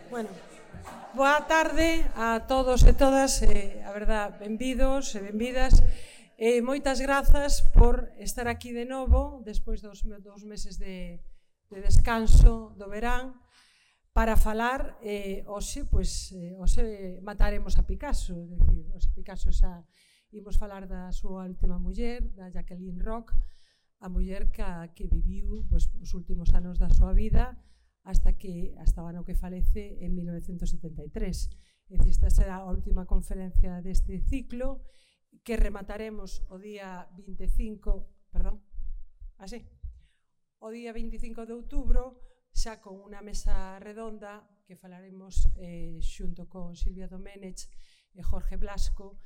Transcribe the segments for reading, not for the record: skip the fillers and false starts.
Bueno, boa tarde a todos e todas, a verdad, benvidos e benvidas. Moitas grazas por estar aquí de novo, despois dos meses de descanso do verán, para falar, hoxe mataremos a Picasso, é dicir, hoxe Picasso xa imos falar da súa última muller, da Jacqueline Roch, a muller que viviu os últimos anos da súa vida hasta o ano que falece en 1973. Esta será a última conferencia deste ciclo que remataremos o día 25 de outubro, xa con unha mesa redonda que falaremos xunto con Silvia Doménech e Jorge Blasco,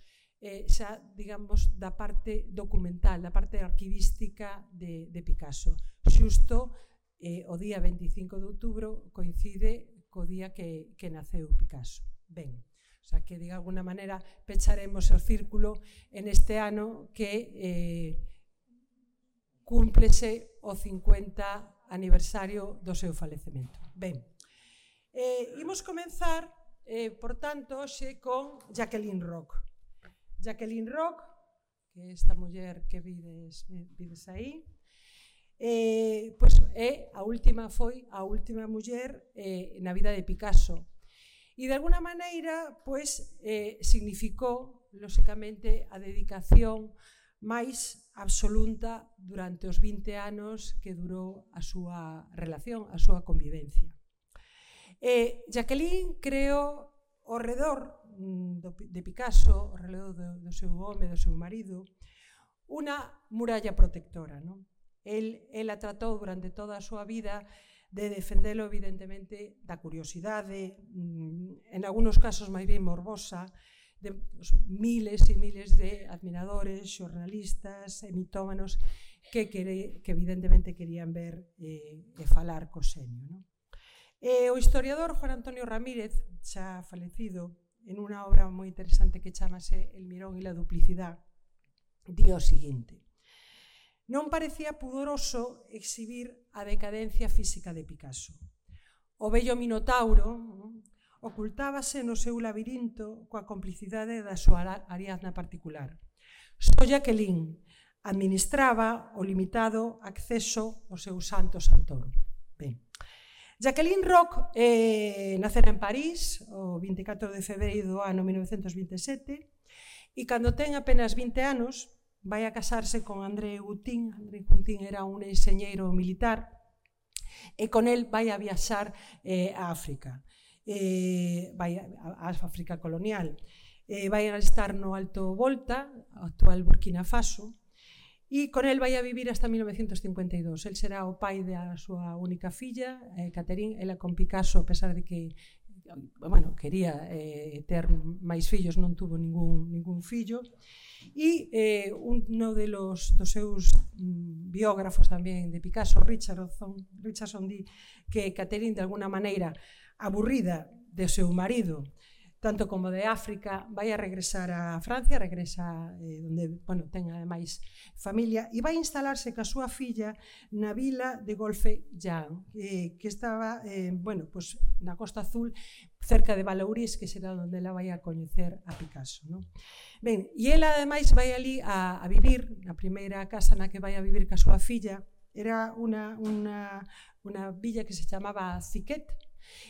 xa, digamos, da parte documental, da parte arquivística de Picasso. Xusto o día 25 de outubro coincide co día que naceu Picasso. Ben, o sea que, de alguna maneira, pecharemos o círculo en este ano que cúmplese o 50 aniversario do seu falecemento. Ben, imos comenzar, por tanto, hoxe con Jacqueline Roch. Jacqueline Roch, que é esta muller que vides aí, foi a última muller na vida de Picasso. E, de alguna maneira, significou, lóxicamente, a dedicación máis absoluta durante os 20 anos que durou a súa relación, a súa convivencia. Jacqueline creou ao redor de Picasso, ao redor do seu home, do seu marido, unha muralla protectora. Ela tratou durante toda a súa vida de defendelo, evidentemente, da curiosidade, en algúns casos máis ben morbosa, de miles e miles de admiradores, xornalistas e mitómanos que evidentemente querían ver e falar co xenio. O historiador Juan Antonio Ramírez, xa falecido, en unha obra moi interesante que chamase El mirón e la duplicidad, di o seguinte: non parecía pudoroso exhibir a decadencia física de Picasso. O bello Minotauro ocultábase no seu labirinto coa complicidade da súa Ariadna particular. Só Jacqueline administraba o limitado acceso ao seu santo santoro. Ben, Jacqueline Roch nacera en París o 24 de febreiro do ano 1927 e cando ten apenas 20 anos vai a casarse con André Goutin. André Goutin era un enxeñeiro militar e con el vai a viaxar a África, vai a África colonial, vai a estar no Alto Volta, actual Burkina Faso, e con el vai a vivir hasta 1952. El será o pai da súa única filla, Catherine. Ela con Picasso, a pesar de que quería ter máis fillos, non tuvo ningún fillo. E uno dos seus biógrafos tamén de Picasso, Richardson, di que Catherine, de alguna maneira, aburrida do seu marido, tanto como de África, vai a regresar a Francia, regresa onde ten ademais familia, e vai instalarse ca súa filla na vila de Golfe-Juan, que estaba na Costa Azul, cerca de Vallauris, que será onde ela vai a coñecer a Picasso. Ben, e ela ademais vai ali a vivir, na primeira casa na que vai a vivir ca súa filla, era unha villa que se chamaba Ziquet.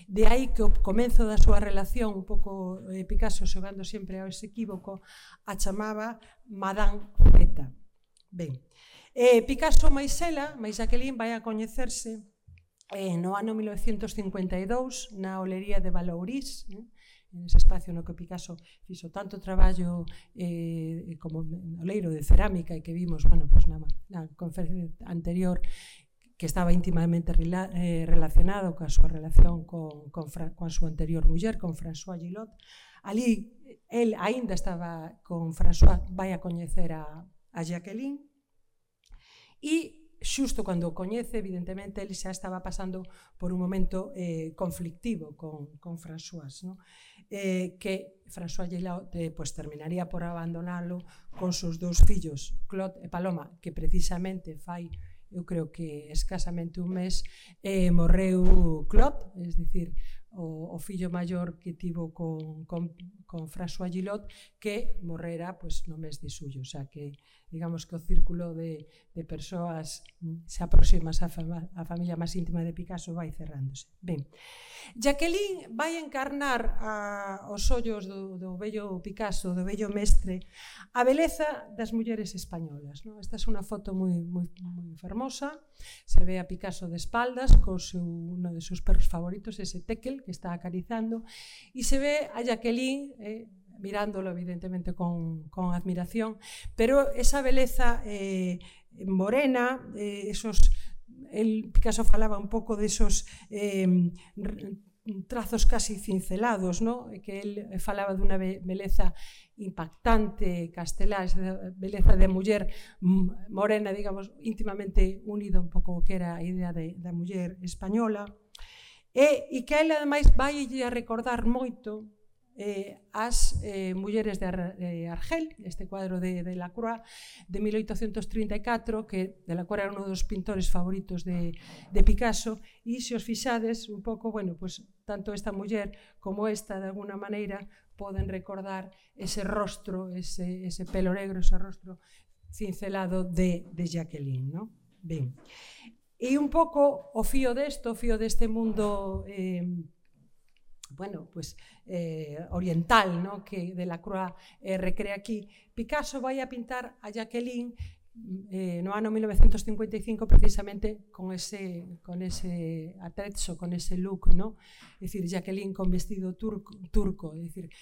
De aí que o comenzo da súa relación, un pouco Picasso xogando sempre ao ese equívoco, a chamaba Madame Zeta. Ben, Picasso máis Jacqueline vai a coñecerse no ano 1952 na olería de Vallauris, en ese espacio no que Picasso fixo tanto traballo como oleiro de cerámica e que vimos na conferencia anterior, que estaba íntimamente relacionado coa súa relación coa súa anterior muller, con François Gillot. Ali, el aínda estaba con François, vai a coñecer a Jacqueline, e xusto cando o coñece, evidentemente, ele xa estaba pasando por un momento conflictivo con François, que François Gillot terminaría por abandonalo con seus dous fillos, Claude e Paloma, que precisamente fai, eu creo que escasamente un mes, morreu Claude, es dicir, o fillo maior que tivo con François Gillot, que morrera no mes de xullo, o sea que digamos que o círculo de persoas se aproximas á familia máis íntima de Picasso vai cerrándose. Ben, Jacqueline vai encarnar aos ollos do vello Picasso, do vello mestre, a beleza das mulleres españolas. Esta é unha foto moi fermosa, se ve a Picasso de espaldas con uno de seus perros favoritos, ese Tekel, que está acarizando, e se ve a Jacqueline mirándolo evidentemente con admiración, pero esa beleza morena, Picasso falaba un pouco desos trazos casi cincelados, que él falaba dunha beleza impactante, castelá, esa beleza de muller morena, digamos, íntimamente unida un pouco que era a idea da muller española, e que a él ademais vai a recordar moito as mulleres de Argel, este cuadro de Delacroix de 1834, que Delacroix era un dos pintores favoritos de Picasso, e se os fixades un pouco, tanto esta muller como esta, de alguna maneira, poden recordar ese rostro, ese pelo negro, ese rostro cincelado de Jacqueline. Ben, e un pouco o fío deste mundo oriental, que Delacroix recrea aquí. Picasso vai a pintar a Jacqueline no ano 1955 precisamente con ese atrezzo, con ese look, é dicir, Jacqueline con vestido turco, é dicir,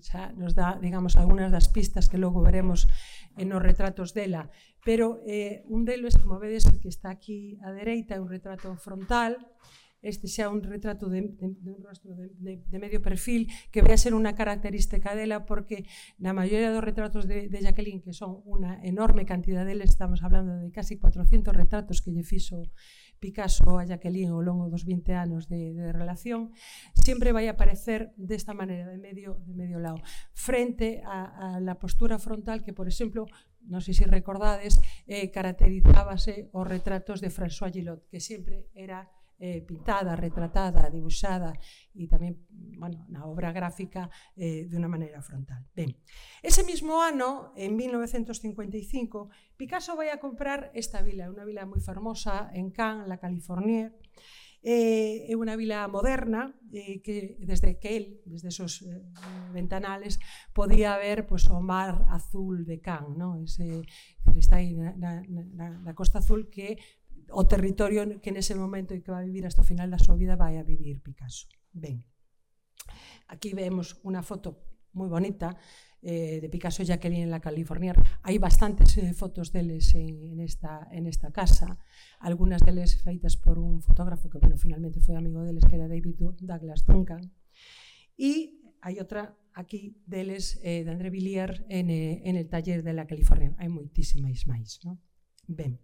xa nos dá, digamos, algunhas das pistas que logo veremos nos retratos dela, pero un deles, como vedes, que está aquí á dereita, é un retrato frontal. Este xa un retrato de un rostro de medio perfil, que vai a ser unha característica dela, porque na maioría dos retratos de Jacqueline, que son unha enorme cantidad deles, estamos hablando de casi 400 retratos que lle fixo Picasso a Jacqueline ao longo dos 20 anos de relación, sempre vai aparecer desta maneira, de medio lado, frente a la postura frontal que, por exemplo, non sei se recordades, caracterizábase os retratos de François Gillot, que sempre era pintada, retratada, dibuixada e tamén na obra gráfica de unha maneira frontal. Ben, ese mismo ano, en 1955, Picasso vai a comprar esta vila, unha vila moi fermosa en Cannes, la Californier. É unha vila moderna que desde esos ventanales podía ver o mar azul de Cannes, está aí na Costa Azul, que o territorio que nese momento e que vai vivir hasta o final da súa vida vai a vivir Picasso. Ben, aquí vemos unha foto moi bonita de Picasso e Jacqueline en la Californier. Hai bastantes fotos deles en esta casa, algunhas deles feitas por un fotógrafo que, finalmente foi amigo deles, que era David Douglas Duncan, e hai outra aquí deles de André Villiers en el taller de la Californier. Hai moitísimas máis. Ben,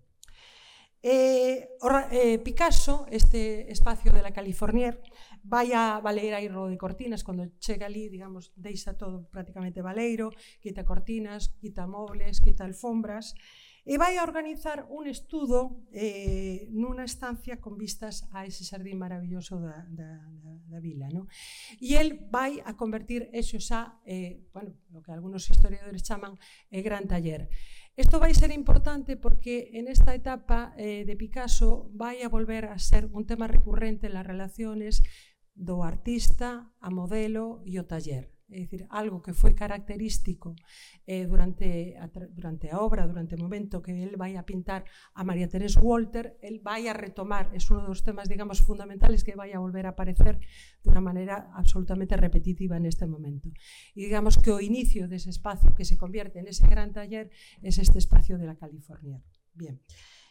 Picasso, este espacio de la Californier, vai a Baleiro de cortinas. Cando chega ali, digamos, deixa todo prácticamente baleiro, quita cortinas, quita mobles, quita alfombras, e vai a organizar un estudo nunha estancia con vistas a ese xardín maravilloso da vila. E el vai a convertir eso xa, o que algunos historiadores chaman gran taller. Isto vai ser importante porque en esta etapa de Picasso vai a volver a ser un tema recurrente en las relaciones do artista, a modelo e o taller. É dicir, algo que foi característico durante a obra, durante o momento que el vai a pintar a María Teresa Walter, el vai a retomar, é un dos temas, digamos, fundamentales que vai a volver a aparecer de unha maneira absolutamente repetitiva neste momento. E digamos que o inicio dese espacio que se convierte en ese gran taller é este espacio de la Californier. Bien.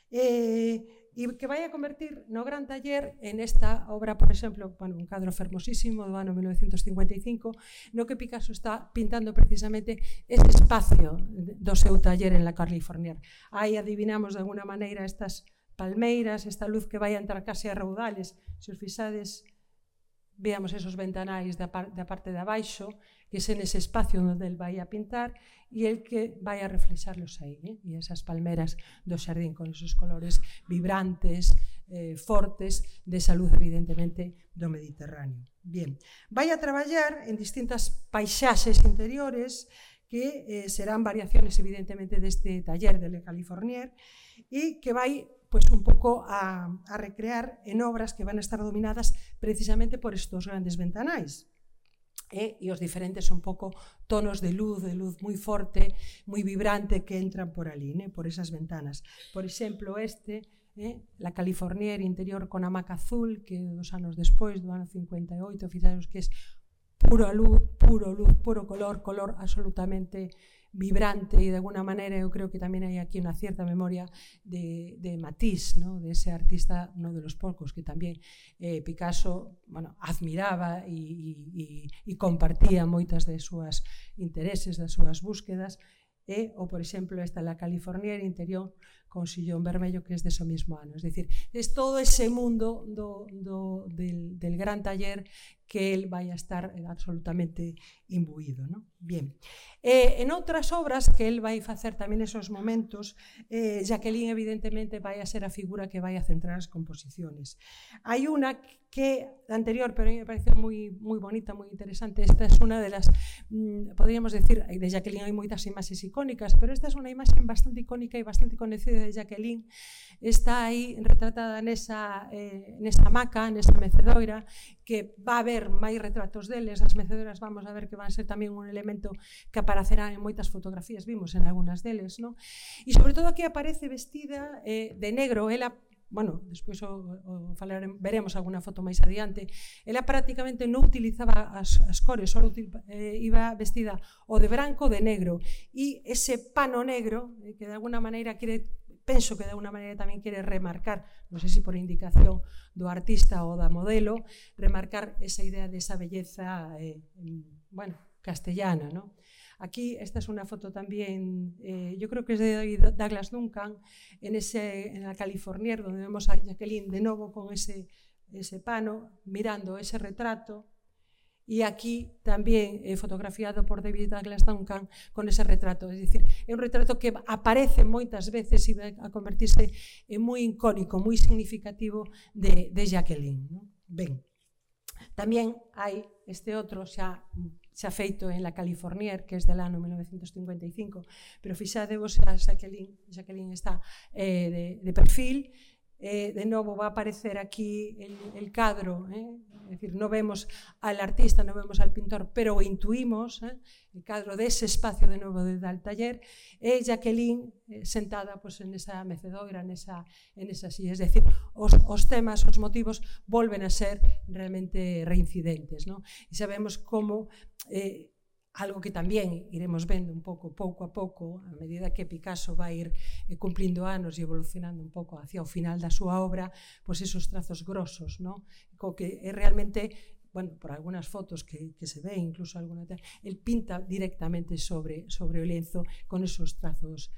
E que vai a convertir no gran taller en esta obra, por exemplo, un cadro fermosísimo do ano 1955, no que Picasso está pintando precisamente ese espacio do seu taller en la Californier. Aí adivinamos de alguna maneira estas palmeiras, esta luz que vai a entrar case a raudales. Se os fixades, veamos esos ventanais da parte de abaixo, que é nese espacio onde el vai a pintar, e el que vai a reflexarlos aí, e esas palmeras do xardín con esos colores vibrantes, fortes de salud, evidentemente, do Mediterráneo. Bien, vai a traballar en distintas paisaxes interiores que serán variaciones, evidentemente, deste taller de Le Californier e que vai un pouco a recrear en obras que van a estar dominadas precisamente por estos grandes ventanais. E os diferentes un pouco tonos de luz moi forte, moi vibrante que entran por ali, por esas ventanas. Por exemplo, La Californier interior con hamaca azul, que 2 anos despois, do ano 58, fixaros que é pura luz, puro color absolutamente vibrante, e de alguna maneira eu creo que tamén hai aquí unha cierta memoria de Matisse, de ese artista, uno de los pocos que tamén Picasso admiraba e compartía moitas de súas intereses, das súas búsquedas, ou, por exemplo, esta La Californier interior con sillón vermello, que é dese mesmo ano. Es dicir, é todo ese mundo del gran taller que él vai a estar absolutamente imbuído. Bien. En outras obras que él vai facer tamén esos momentos, Jacqueline evidentemente vai a ser a figura que vai a centrar as composiciones. Hai unha que anterior, pero a mí me parece moi bonita, moi interesante. Esta é unha de las, podríamos decir, de Jacqueline hai moitas imaxes icónicas, pero esta é unha imaxe bastante icónica e bastante conhecida de Jacqueline. Está aí retratada nesa hamaca, nesa mecedoira, que va a haber máis retratos deles. As mecedoras vamos a ver que van a ser tamén un elemento que aparecerá en moitas fotografías, vimos en algunhas deles, e sobre todo aquí aparece vestida de negro. Ela, despois veremos alguna foto máis adiante, ela prácticamente non utilizaba as cores, só iba vestida o de branco o de negro, e ese pano negro que de alguna maneira penso que de alguna maneira tamén quere remarcar, non sei se por indicación do artista ou da modelo, remarcar esa idea de esa belleza castellana. Aquí, esta es una foto también, yo creo que es de Douglas Duncan, en La Californier, donde vemos a Jacqueline de nuevo con ese pano, mirando ese retrato, e aquí tamén fotografiado por David Douglas Duncan con ese retrato. Es dicir, é un retrato que aparece moitas veces e vai a convertirse en moi icónico, moi significativo de Jacqueline. Ben, tamén hai este outro xa feito en La Californier, que é del ano 1955, pero fixadevos, Jacqueline está de perfil. De novo va a aparecer aquí el cadro, es decir, no vemos al artista, no vemos al pintor, pero o intuimos, el cadro de ese espacio de novo del taller, e Jacqueline sentada en esa mecedoira, en esa silla. Es decir, os temas, os motivos volven a ser realmente reincidentes, e sabemos como algo que tamén iremos vendo un pouco a pouco, a medida que Picasso vai ir cumplindo anos e evolucionando un pouco hacia o final da súa obra, pois esos trazos grosos, co que é realmente, por algunas fotos que se ve, incluso alguna, el pinta directamente sobre o lienzo con esos trazos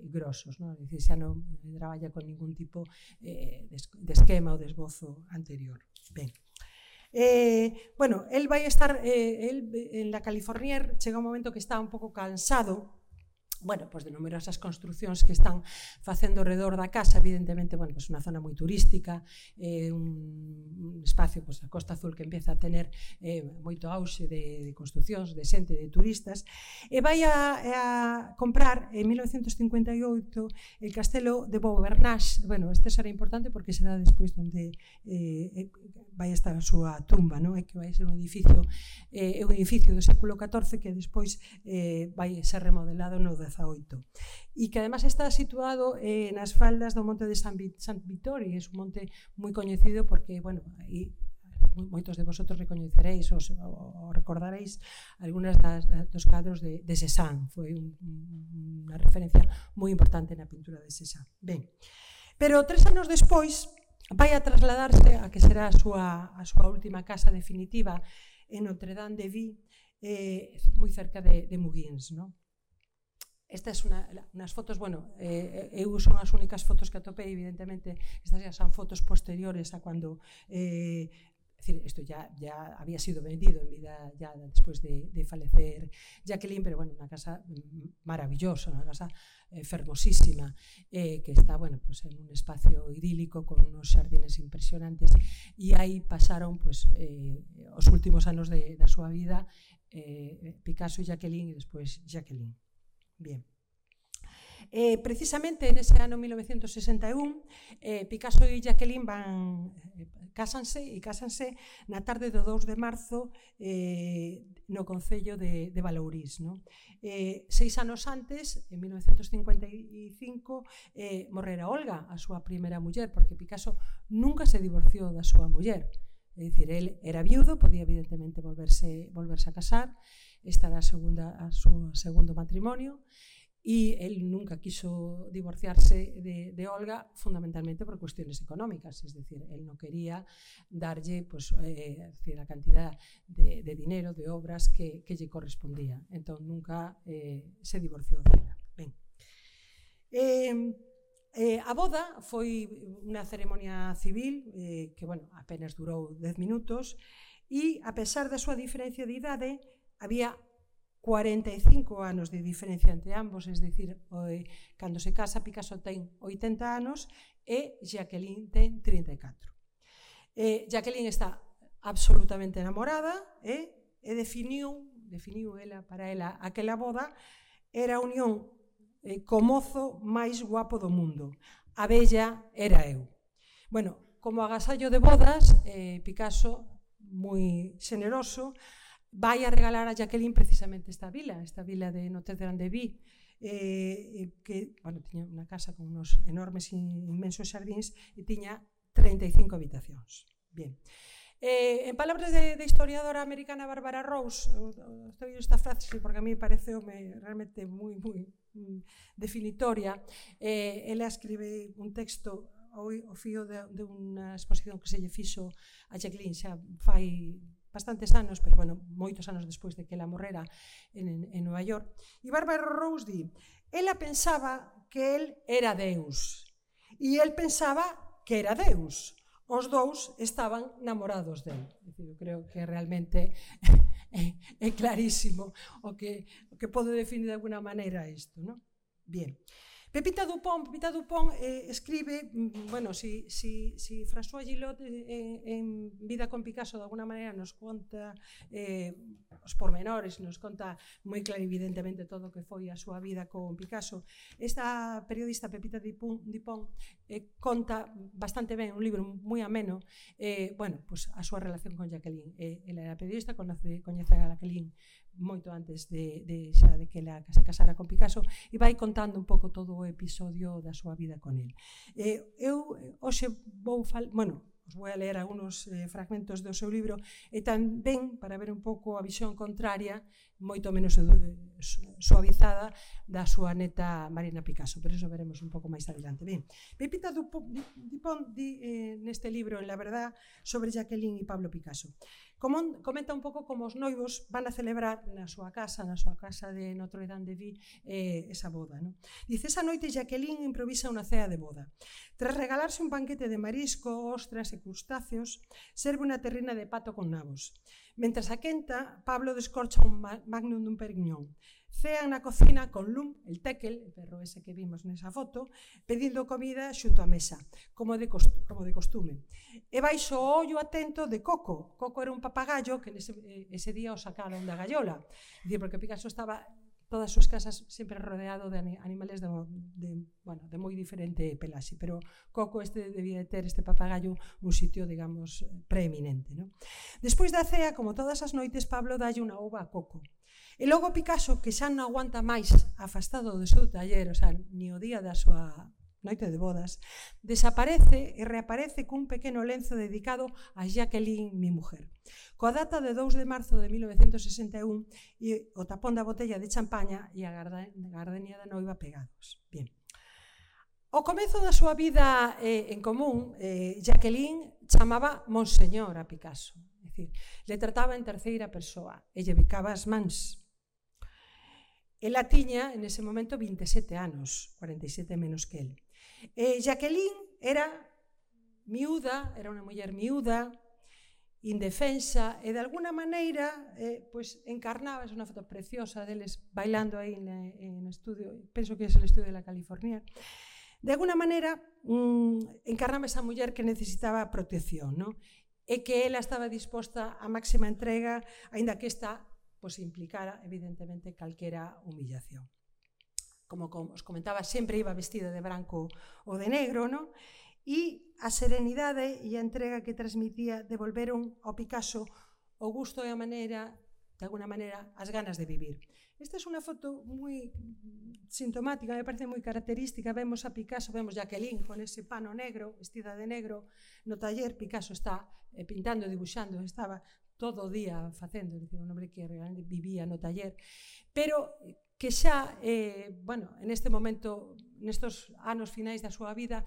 grosos, es dicir, xa non traballa con ningún tipo de esquema ou de esbozo anterior. Ben. Él vai estar en La Californier, chega un momento que está un pouco cansado de numerosas construcións que están facendo alrededor da casa. Evidentemente, unha zona moi turística, un espacio, a Costa Azul, que empieza a tener moito auxe de construcións, de xente, de turistas, e vai a comprar en 1958 el castelo de Beaubernage. Este será importante porque será despois onde vai estar a súa tumba, que vai ser un edificio do século XIV que despois vai ser remodelado no XVIII, e que además está situado nas faldas do monte de Sant Vittori. É un monte moi coñecido porque, moitos de vosotros recoñeceréis ou recordaréis algunhas dos cadros de Cézanne. Foi unha referencia moi importante na pintura de Cézanne. Ben, pero 3 anos despois vai a trasladarse a que será a súa última casa definitiva en Notre-Dame-de-Vie, moi cerca de Mougins. Estas son unas fotos, eu son as únicas fotos que atopei, evidentemente, estas xa son fotos posteriores a cando decir, esto ya había sido vendido en vida ya después de falecer Jacqueline, pero bueno, una casa maravillosa, una casa fermosísima, que está, bueno, pues en un espacio idílico con unos xardines impresionantes, e aí pasaron, pues, os últimos anos da súa vida, Picasso e Jacqueline, e despois Jacqueline. Bien. Precisamente nese ano 1961, Picasso e Jacqueline cásanse na tarde do 2 de marzo no concello de Balourís. 6 anos antes, en 1955, morrera Olga, a súa primeira muller, porque Picasso nunca se divorciou da súa muller. É dicir, el era viudo, podía evidentemente volverse a casar, esta era a súa segundo matrimonio, e el nunca quiso divorciarse de Olga, fundamentalmente por cuestiones económicas, es decir, él no quería darlle, pues, a cantidad de dinero, de obras que lle correspondía. Entón, nunca se divorciou dela. Ben. A boda foi unha ceremonia civil que, bueno, apenas durou 10 minutos, e, a pesar da súa diferencia de idade, había 45 anos de diferencia entre ambos, es decir, cando se casa Picasso ten 80 anos e Jacqueline ten 34. Jacqueline está absolutamente enamorada e definiu para ela aquela boda era a unión co mozo máis guapo do mundo. A bella era eu. Bueno, como agasallo de bodas, Picasso, moi xeneroso, vai a regalar a Jacqueline precisamente esta vila de Notre-Dame-de-Vie, que, bueno, tiña unha casa con unos enormes, inmensos xardíns e tiña 35 habitacións. Bien. En palabras de historiadora americana Barbara Rose, estou esta frase porque a mí pareceume realmente moi definitoria, ela escribe un texto ao fío de unha exposición que se lle fixo a Jacqueline xa fai bastantes anos, pero, bueno, moitos anos despois de que ela morrera en Nova York. E Barbara Rose di, ela pensaba que el era Deus e el pensaba que era Deus. Os dous estaban namorados del. Eu creo que realmente é clarísimo o que pode definir de alguna maneira isto, non? Bien. Pepita Dupont escribe, bueno, si François Gillot en Vida con Picasso de alguna maneira nos conta os pormenores, nos conta moi clarividentemente todo o que foi a súa vida con Picasso, esta periodista Pepita Dupont conta bastante ben, un libro moi ameno, bueno, pues a súa relación con Jacqueline. Ela era periodista, coñece a Jacqueline moito antes de que ela se casara con Picasso e vai contando un pouco todo o episodio da súa vida con el. Eu hoxe os vou a ler algunos fragmentos do seu libro e tamén para ver un pouco a visión contraria, moito menos suavizada, da súa neta Marina Picasso, pero eso veremos un pouco máis adelante. Ben, Pepita Dupont di neste libro, en La verdad, sobre Jacqueline e Pablo Picasso. Comenta un pouco como os noivos van a celebrar na súa casa de Notre-Dame-de-Vie, esa boda. Dice, esa noite Jacqueline improvisa unha cea de boda. Tras regalarse un banquete de marisco, ostras e crustáceos, serve unha terrina de pato con nabos. Mentras a quenta, Pablo descorcha un magnum dun perignon. Cean na cocina con Lum, el tekel, el perro ese que vimos nesa foto, pedindo comida xunto á mesa, como de costume. E baixo o ollo atento de Coco. Coco era un papagallo que ese día o sacaron da gaiola. Porque Picasso estaba todas as súas casas sempre rodeado de animales de moi diferente pelaxe, pero Coco debía ter este papagallo un sitio, digamos, preeminente. Despois da cea, como todas as noites, Pablo dalle unha uva a Coco. E logo Picasso, que xa non aguanta máis afastado do seu taller, o sea, ni o día da súa noite de bodas, desaparece e reaparece cun pequeno lenzo dedicado a Jacqueline, mi mujer. Coa data de 2 de marzo de 1961 e o tapón da botella de champaña e a gardenia da noiva pegados. Bien. Ao comezo da súa vida en común, Jacqueline chamaba Monseñor a Picasso, é dicir, le trataba en terceira persoa e lle bicaba as mans. Ela tiña, en ese momento, 27 anos, 47 menos que el. Jacqueline era miúda, era unha muller miúda, indefensa, e de alguna maneira pois encarnaba, é unha foto preciosa deles bailando aí no estudio, penso que é o estudio de la California. De alguna maneira encarnaba esa muller que necesitaba protección, non? E que ela estaba disposta a máxima entrega, aínda que esta pois implicara evidentemente calquera humillación. Como os comentaba, sempre iba vestida de branco ou de negro, non? E a serenidade e a entrega que transmitía devolveron ao Picasso o gusto e a maneira, de alguna maneira, as ganas de vivir. Esta é unha foto moi sintomática, me parece moi característica. Vemos a Picasso, vemos Jacqueline con ese pano negro, vestida de negro, no taller. Picasso está pintando, dibuixando, estaba todo o día facendo, un hombre que realmente vivía no taller, pero que xa, en este momento, nestos anos finais da súa vida,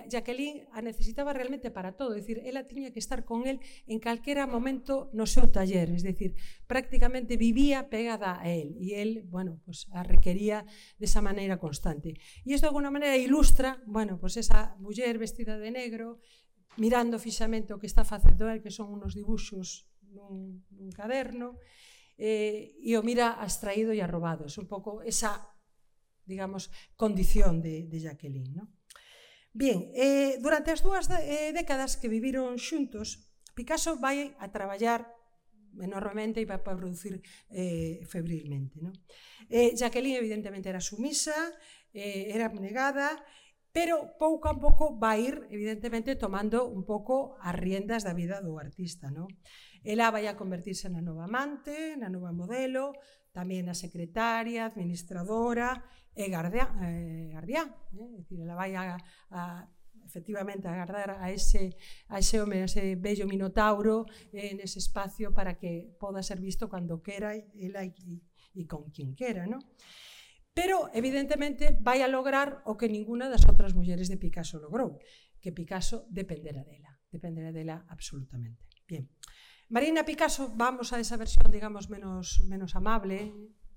Jacqueline a necesitaba realmente para todo, é dicir, ela tiña que estar con él en calquera momento no seu taller, é dicir, prácticamente vivía pegada a él, e él, pues a requería desa maneira constante. E isto de alguna maneira ilustra, pues esa muller vestida de negro, mirando fixamente o que está facendo él, que son unos dibuxos nun caderno, e o mira abstraído e arrobado. É un pouco esa, digamos, condición de Jacqueline, non? Bien, durante as dúas décadas que viviron xuntos, Picasso vai a traballar enormemente e vai a producir febrilmente, non? Jacqueline evidentemente era sumisa, era abnegada, pero pouco a pouco vai ir, evidentemente, tomando un pouco as riendas da vida do artista, non? Ela vai a convertirse na nova amante, na nova modelo, tamén na secretaria, administradora e guardián. Ela vai efectivamente a guardar a ese home, a ese bello minotauro nese espacio para que poda ser visto cando quera ela e con quen quera, non? Pero, evidentemente, vai a lograr o que ninguna das outras mulleres de Picasso logrou, que Picasso dependera dela absolutamente. Bien. Marina Picasso, vamos a esa versión, digamos, menos amable.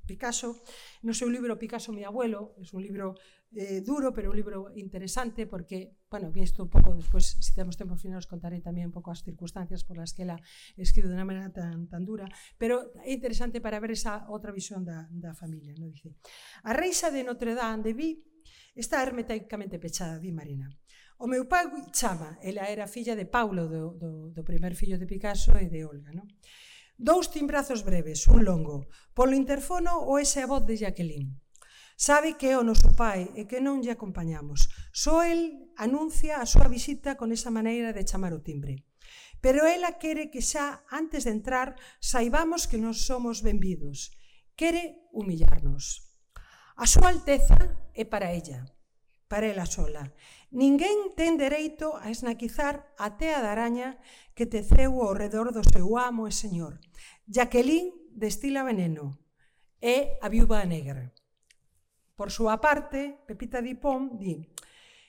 Picasso, no seu libro Picasso, mi abuelo, é un libro duro, pero un libro interesante porque, visto un pouco despois, se temos tempo final, os contaré tamén un pouco as circunstancias por las que ela escribe de unha maneira tan dura, pero é interesante para ver esa outra visión da familia, non? Dice: a reixa de Notre Dame de Vi está hermeticamente pechada, di Marina. O meu pai chama, ela era filla de Paulo, do primer fillo de Picasso e de Olga, non? Dous timbrazos breves, un longo, polo interfono o ese a voz de Jacqueline. Sabe que é o noso pai e que non lle acompañamos. Só el anuncia a súa visita con esa maneira de chamar o timbre. Pero ela quere que xa, antes de entrar, saibamos que non somos benvidos. Quere humillarnos. A súa alteza é para ella sola. Ninguén ten dereito a esnaquizar a tea da araña que teceu ao redor do seu amo e señor. Jacqueline destila veneno. É a viúva negra. Por súa parte, Pepita Dupont di: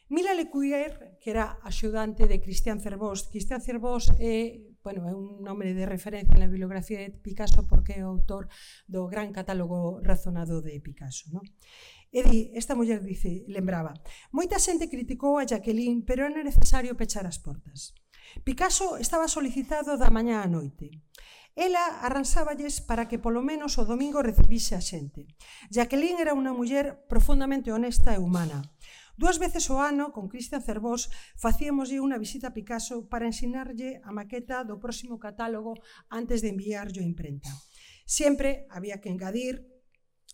Mila Lecuyer, que era axudante de Christian Cerbos. Christian Cerbos é un nome de referencia na bibliografía de Picasso porque é o autor do gran catálogo razonado de Picasso, non? E esta muller lembraba: moita xente criticou a Jacqueline, pero era necesario pechar as portas. Picasso estaba solicitado da mañá á noite. Ela arranxáballes para que polo menos o domingo recibise a xente. Jacqueline era unha muller profundamente honesta e humana. 2 veces ao ano, con Christian Cerbos, facíamoslle unha visita a Picasso para ensinarlle a maqueta do próximo catálogo antes de enviarlo a imprenta. Sempre había que engadir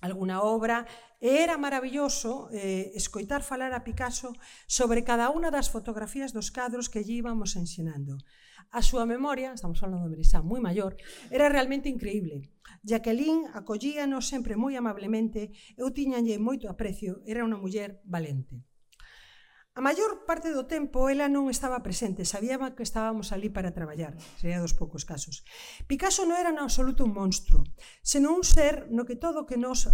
alguna obra e era maravilloso escoitar falar a Picasso sobre cada unha das fotografías dos cadros que lle íbamos ensinando. A súa memoria, estamos falando de xa moi maior, era realmente increíble. Jacqueline acollíanos sempre moi amablemente, eu tiñanlle moito aprecio, era unha muller valente. A maior parte do tempo ela non estaba presente, sabíamos que estábamos ali para traballar, sería dos poucos casos. Picasso non era en absoluto un monstro, senón un ser no que todo o que nos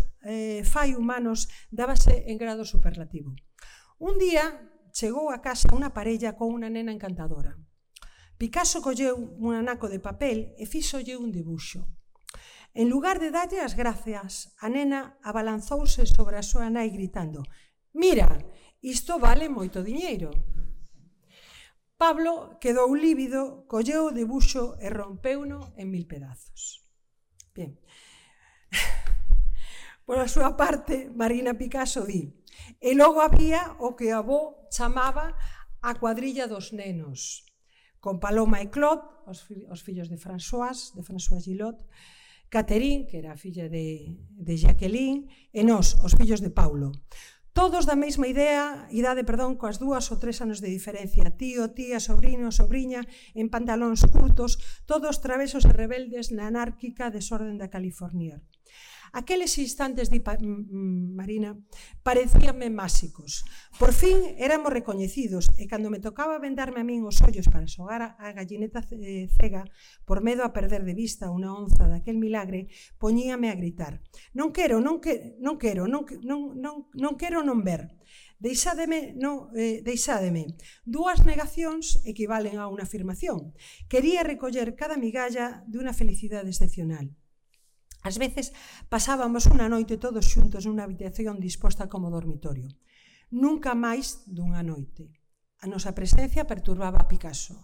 fai humanos dábase en grado superlativo. Un día chegou a casa unha parella con unha nena encantadora. Picasso colleu un anaco de papel e fíxolle un dibuxo. En lugar de darlle as gracias, a nena abalanzouse sobre a súa nai gritando: «Mira, isto vale moito diñeiro». Pablo quedou lívido, colleu o debuxo e rompeuno en 1000 pedazos. Bien. Por a súa parte, Marina Picasso di: e logo había o que o avó chamaba a cuadrilla dos nenos, con Paloma e Claude, os fillos de François Gillot, Catherine, que era a filla de Jacqueline, e nós, os fillos de Paulo. Todos da mesma idade, coas 2 ou 3 anos de diferencia, tío, tía, sobrino, sobriña, en pantalóns curtos, todos travesos e rebeldes na anárquica desorden da California. Aqueles instantes, di Marina, parecíanme máxicos. Por fin éramos recoñecidos e cando me tocaba vendarme a min os ollos para xogar a gallineta cega por medo a perder de vista unha onza daquel milagre, poñíame a gritar: non quero non ver. Deixádeme. Dúas negacións equivalen a unha afirmación. Quería recoller cada migalla de unha felicidade excepcional. Ás veces pasábamos unha noite todos xuntos nunha habitación disposta como dormitorio. Nunca máis dunha noite. A nosa presencia perturbaba a Picasso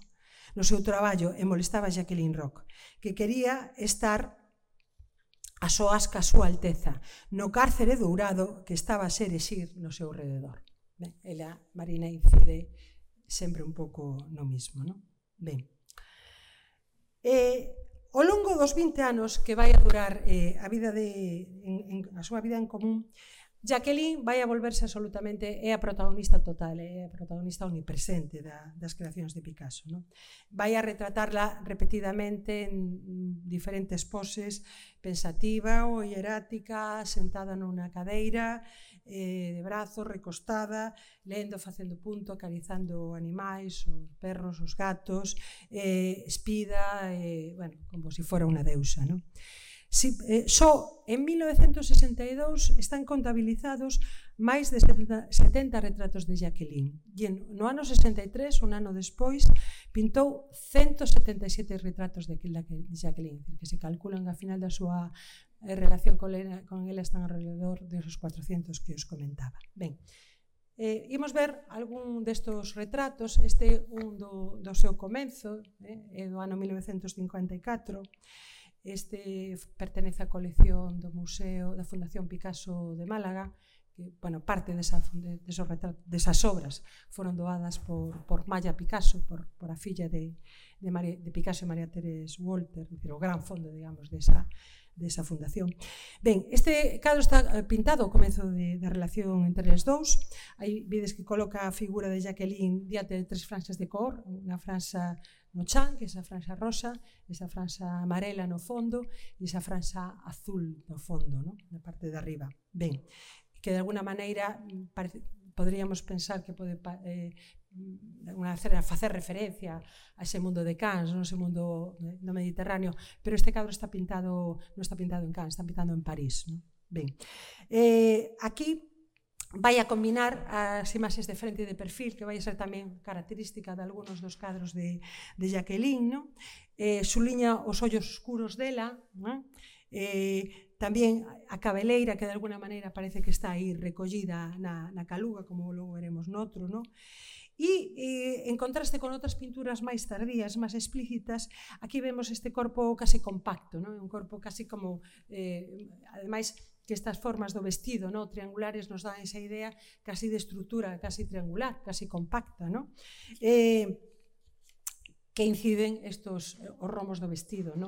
no seu traballo e molestaba a Jacqueline Roch, que quería estar a soas ca súa alteza, no cárcere dourado que estaba a se erixir no seu rededor. Ben, ela, Marina, incide sempre un pouco no mismo, non? Ben. Ao longo dos 20 anos que vai a durar a súa vida en común, Jacqueline vai a volverse absolutamente, é a protagonista total, é a protagonista omnipresente das creacións de Picasso. Vai a retratarla repetidamente en diferentes poses, pensativa ou hierática, sentada nunha cadeira, de brazos, recostada, lendo, facendo punto, acarizando animais, os perros, os gatos, espida, como se fora unha deusa. Só en 1962 están contabilizados máis de 70 retratos de Jacqueline. E no ano 63, un ano despois, pintou 177 retratos de Jacqueline, que se calculan a final da súa relación con ela están alrededor de esos 400 que os comentaba. Ben, imos ver algún destos retratos. Este é un do seu comenzo, é do ano 1954. Este pertenece á colección do Museo da Fundación Picasso de Málaga, que, parte desas obras foron doadas por Maya Picasso, por a filla de Picasso e María Teresa Walter, o gran fondo, digamos, desa fundación. Ben, este cadro está pintado ao comezo da relación entre os dous. Aí vedes que coloca a figura de Jacqueline diante de 3 franxas de cor, unha franxa no chan, que é esa franxa rosa, esa franxa amarela no fondo e esa franxa azul no fondo, na parte de arriba. Ben, que de alguna maneira poderíamos pensar que pode facer referencia a ese mundo de Cannes, ese mundo no Mediterráneo, pero este cadro non está pintado en Cannes, está pintado en París. Ben, aquí vai a combinar as imaxes de frente e de perfil, que vai a ser tamén característica de algúns dos cadros de Jacqueline. Suliña os ollos oscuros dela, tamén a cabeleira, que de alguna maneira parece que está aí recollida na caluga, como logo veremos noutro. E en contraste con outras pinturas máis tardías, máis explícitas, aquí vemos este corpo casi compacto, un corpo casi como, ademais, que estas formas do vestido triangulares nos dan esa idea casi de estrutura, casi triangular, casi compacta, que inciden os romos do vestido.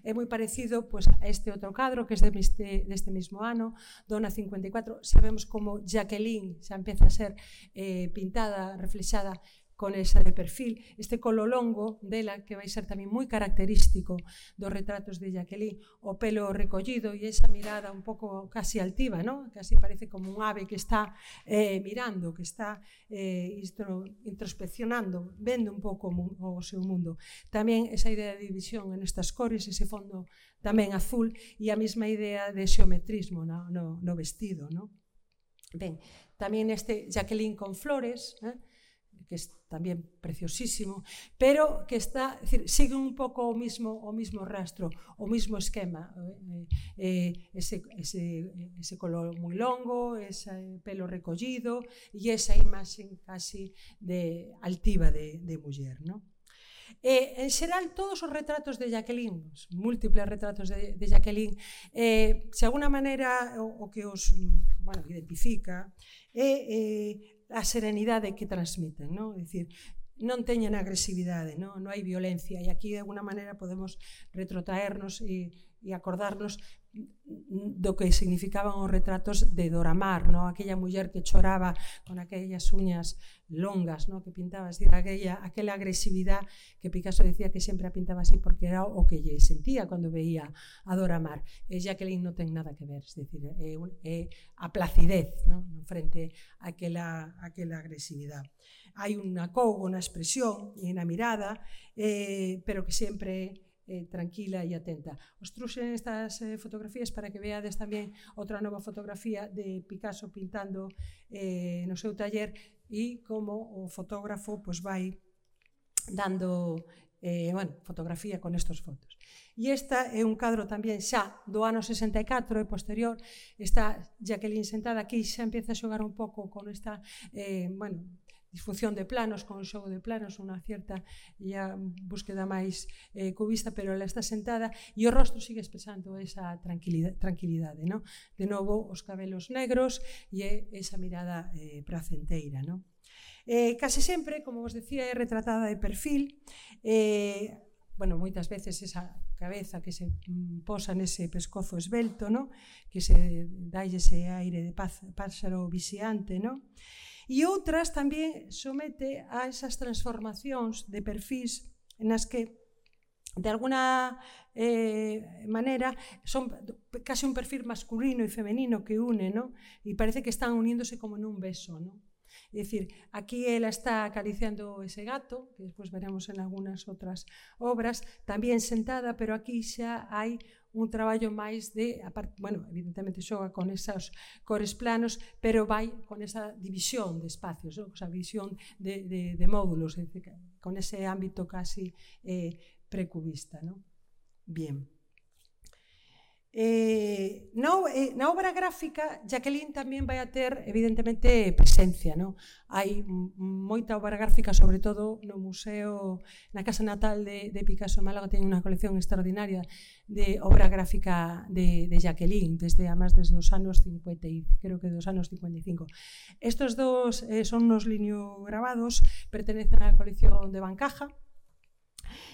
É moi parecido a este outro cadro, que é deste mesmo ano, do ano 54. Sabemos como Jacqueline xa empeza a ser pintada, reflexada con esa de perfil, este colo longo dela, que vai ser tamén moi característico dos retratos de Jacqueline, o pelo recollido e esa mirada un pouco casi altiva, casi parece como un ave que está mirando, que está introspeccionando, vendo un pouco o seu mundo. Tamén esa idea de división en estas cores, ese fondo tamén azul, e a mesma idea de xeometrismo no vestido. Ben, tamén este Jacqueline con flores, que é tamén preciosísimo, pero que está, decir, sigue un pouco o mismo rastro, o mismo esquema, ese color moi longo, ese pelo recollido e esa imaxe casi altiva de muller, non? En xeral, todos os retratos de Jacqueline, os múltiples retratos de Jacqueline, de alguna maneira o que os identifica é a serenidade que transmiten, non? É dicir, non teñen agresividade, non hai violencia, e aquí de alguna maneira podemos retrotraernos e acordarnos do que significaban os retratos de Dora Maar, non? Aquella muller que choraba con aquellas uñas longas, non? Que pintaba, decir, aquela agresividade que Picasso decía que sempre a pintaba así porque era o que lle sentía cando veía a Dora Maar. E Jacqueline non ten nada que ver, é dicir, é a placidez, non? Frente a aquela agresividade. Hai un acougo na expresión e na mirada, pero que sempre tranquila e atenta. Os truxen estas fotografías para que veades tamén outra nova fotografía de Picasso pintando no seu taller e como o fotógrafo vai dando fotografía con estes fotos. E esta é un cadro tamén xa do ano 64 e posterior. Está Jacqueline sentada aquí, xa empieza a xogar un pouco con esta disfunción de planos, con o xogo de planos, unha cierta búsqueda máis cubista, pero ela está sentada e o rostro sigue expresando esa tranquilidade, non? De novo, os cabelos negros e esa mirada pracenteira, non? Case sempre, como vos decía, é retratada de perfil, moitas veces esa cabeza que se posa nese pescozo esvelto, non? Que se dá ese aire de páxaro vixiante, non? E outras tamén somete a esas transformacións de perfís nas que, de alguna maneira, son case un perfil masculino e femenino que une, non? E parece que están uníndose como nun beso, non? É dicir, aquí ela está acariciando ese gato, que despois veremos en algunhas outras obras, tamén sentada, pero aquí xa hai un traballo máis de, evidentemente xoga con esas cores planos, pero vai con esa división de espacios, esa visión de módulos, con ese ámbito casi precubista. Bien. Na obra gráfica, Jacqueline tamén vai a ter, evidentemente, presencia. Hai moita obra gráfica, sobre todo no museo, na casa natal de Picasso en Málaga, ten unha colección extraordinaria de obra gráfica de Jacqueline, desde os anos 50, creo que dos anos 55. Estos dos son unos lineograbados, pertenecen á colección de Bancaja,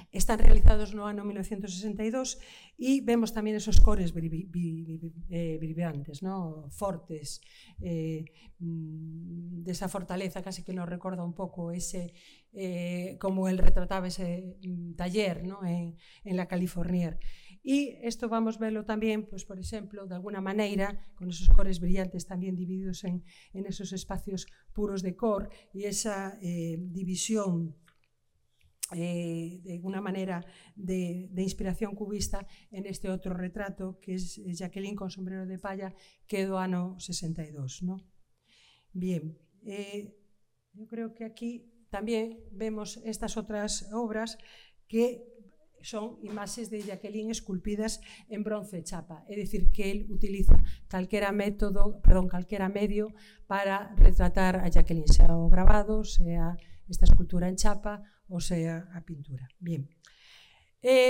están realizados no ano 1962 e vemos tamén esos cores vibrantes, fortes, desa fortaleza casi que nos recorda un pouco ese, como el retrataba ese taller en la Californier. E isto vamos verlo tamén, por exemplo, de alguna maneira, con esos cores brillantes tamén divididos en esos espacios puros de cor e esa división de alguna maneira de inspiración cubista en este outro retrato que é Jacqueline con sombrero de palla, que é do ano 62. Bien, eu creo que aquí tamén vemos estas outras obras que son imaxes de Jacqueline esculpidas en bronce e chapa, é dicir, que el utiliza calquera medio para retratar a Jacqueline, sea o grabado, sea esta escultura en chapa ou sea a pintura. Bien.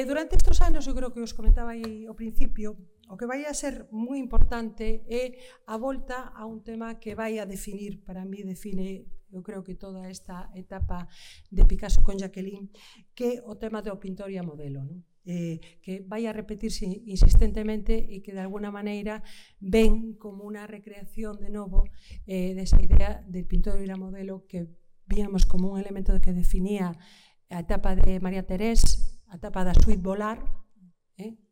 Durante estes anos, eu creo que os comentaba aí ao principio, o que vai a ser moi importante é a volta a un tema que vai a definir, para mí define, eu creo que toda esta etapa de Picasso con Jacqueline, que é o tema do pintor e a modelo, que vai a repetirse insistentemente e que de alguna maneira ven como unha recreación de novo desa idea del pintor e a modelo que víamos como un elemento que definía a etapa de María Terés, a etapa da suite Volar,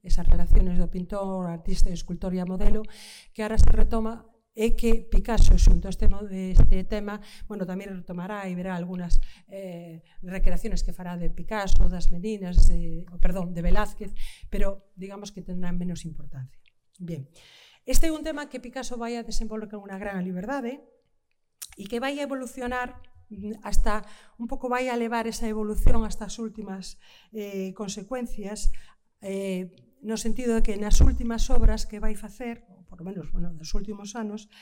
esas relaciones do pintor, artista, escultor e a modelo, que ahora se retoma e que Picasso, xunto a este tema, tamén retomará e verá algunhas recreaciones que fará de Picasso, das meninas, de Velázquez, pero digamos que tendrán menos importancia. Bien, este é un tema que Picasso vai a desenvolver con unha gran liberdade e que vai a evolucionar hasta un pouco vai a levar esa evolución hasta as últimas consecuencias, no sentido de que nas últimas obras que vai facer, ou por lo menos nos últimos anos,